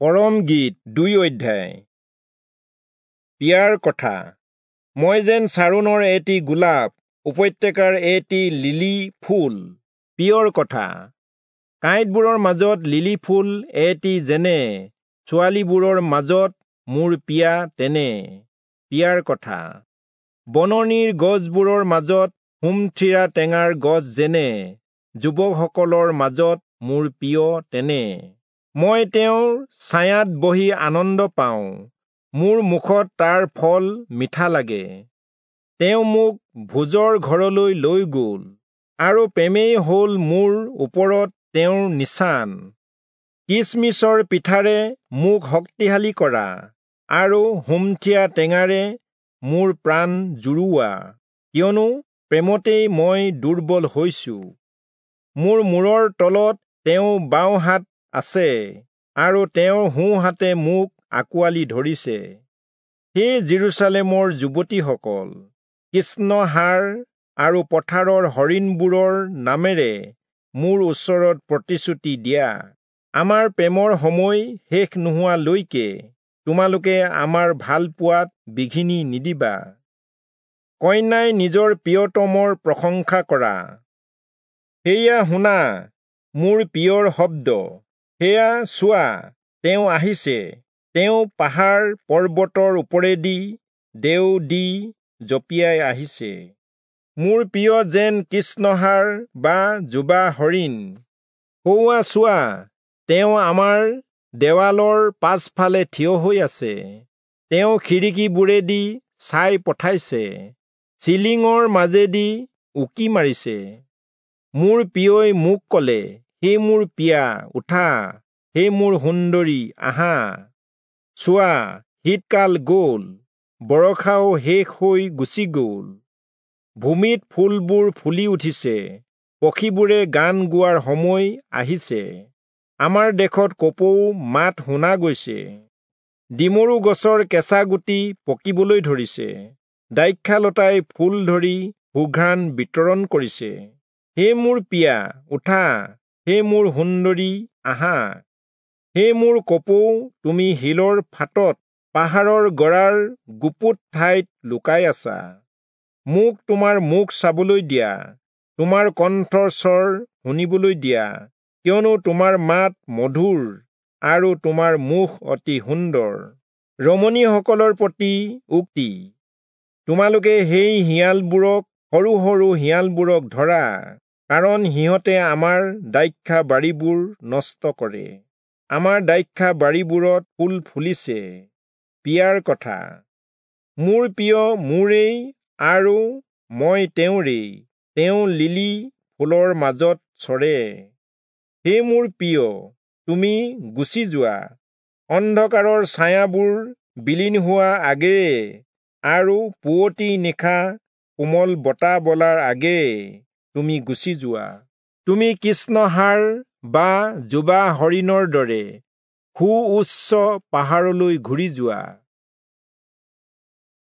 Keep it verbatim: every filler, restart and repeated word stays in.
পৰম গীত দুই অধ্যায়। পিয়াৰ কথা। মই যেন চাৰোণৰ এটি গোলাপ, উপত্যকাৰ এটি লিলি ফুল। পিয়ৰ কথা। কাঁইটবোৰৰ মাজত লিলি ফুল এটি যেনে, ছোৱালীবোৰৰ মাজত মোৰ পিয়া তেনে। পিয়াৰ কথা। বননিৰ গছবোৰৰ মাজত সুমথিৰা টেঙাৰ গছ যেনে, যুৱকসকলৰ মাজত মোৰ প্ৰিয় তেনে। মই তেওঁৰ ছায়াত বহি আনন্দ পাওঁ, মোৰ মুখত তাৰ ফল মিঠা লাগে। তেওঁ মোক ভোজৰ ঘৰলৈ লৈ গ'ল, আৰু প্ৰেমেই হ'ল মোৰ ওপৰত তেওঁৰ নিচান। কিচমিচৰ পিঠাৰে মোক শক্তিশালী কৰা, আৰু সুমথিৰা টেঙাৰে মোৰ প্ৰাণ জুৰোৱা, কিয়নো প্ৰেমতেই মই দুৰ্বল হৈছো। মোৰ মূৰৰ তলত তেওঁ বাওঁ হাত আছে, আৰু তেওঁৰ সোঁ হাতে মোক আঁকোৱালি ধৰিছে। হে যিৰূচালেমৰ যুৱতীসকল, কৃষ্ণহাৰ আৰু পথাৰৰ হৰিণবোৰৰ নামেৰে মোৰ ওচৰত প্ৰতিশ্ৰুতি দিয়া। আমাৰ প্ৰেমৰ সময় শেষ নোহোৱালৈকে তোমালোকে আমাৰ ভালপোৱাত বিঘিনি নিদিবা। কন্যাই নিজৰ প্ৰিয়তমৰ প্ৰশংসা কৰা। সেয়া শুনা, মোৰ প্ৰিয়ৰ শব্দ! সেয়া চোৱা, তেওঁ আহিছে! তেওঁ পাহাৰ পৰ্বতৰ ওপৰেদি দেও দি জঁপিয়াই আহিছে। মোৰ প্ৰিয় যেন কৃষ্ণহাৰ বা যুৱা হৰিণ। সৌৱা চোৱা, তেওঁ আমাৰ দেৱালৰ পাছফালে থিয় হৈ আছে। তেওঁ খিৰিকীবোৰেদি চাই পঠাইছে, চিলিঙৰ মাজেদি উকি মাৰিছে। মোৰ প্ৰিয়ই মোক ক'লে, হে মোৰ পিয়া, উঠা, হে মোৰ সুন্দৰী, আহা। চোৱা, শীতকাল গ'ল, বৰষাও শেষ হৈ গুচি গ'ল। ভূমিত ফুলবোৰ ফুলি উঠিছে, পক্ষীবোৰে গান গোৱাৰ সময় আহিছে। আমাৰ দেশত কপৌ মাত শুনা গৈছে। ডিমৰু গছৰ কেঁচা গুটি পকিবলৈ ধৰিছে, দ্ৰাক্ষালতাই ফুল ধৰি সুঘ্ৰাণ বিতৰণ কৰিছে। হে মোৰ পিয়া, উঠা, হে মোৰ সুন্দৰী, আহা। হে মোৰ কপৌ, তুমি শিলৰ ফাটত, পাহাৰৰ গৰাৰ গুপুত ঠাইত লুকাই আছা। মোক তোমাৰ মুখ চাবলৈ দিয়া, তোমাৰ কণ্ঠৰ স্বৰ শুনিবলৈ দিয়া, কিয়নো তোমাৰ মাত মধুৰ আৰু তোমাৰ মুখ অতি সুন্দৰ। ৰমণীসকলৰ প্ৰতি উক্তি। তোমালোকে সেই শিয়ালবোৰক, সৰু সৰু শিয়ালবোৰক ধৰা, কাৰণ সিহঁতে আমাৰ দ্ৰাক্ষা বাৰীবোৰ নষ্ট কৰে। আমাৰ দ্ৰাক্ষা বাৰীবোৰত ফুল ফুলিছে। পিয়াৰ কথা। মোৰ প্ৰিয় মোৰেই আৰু মই তেওঁৰেই, তেওঁ লিলি ফুলৰ মাজত চৰে। হে মোৰ প্ৰিয়, তুমি গুচি যোৱা, অন্ধকাৰৰ ছায়াবোৰ বিলীন হোৱা আগেয়ে আৰু পুৱতি নিশা কোমল বতাহ বলাৰ আগেয়ে তুমি গুচি যোৱা। তুমি কৃষ্ণহাৰ বা যুৱা হৰিণৰ দৰে সুউচ্চ পাহাৰলৈ ঘূৰি যোৱা।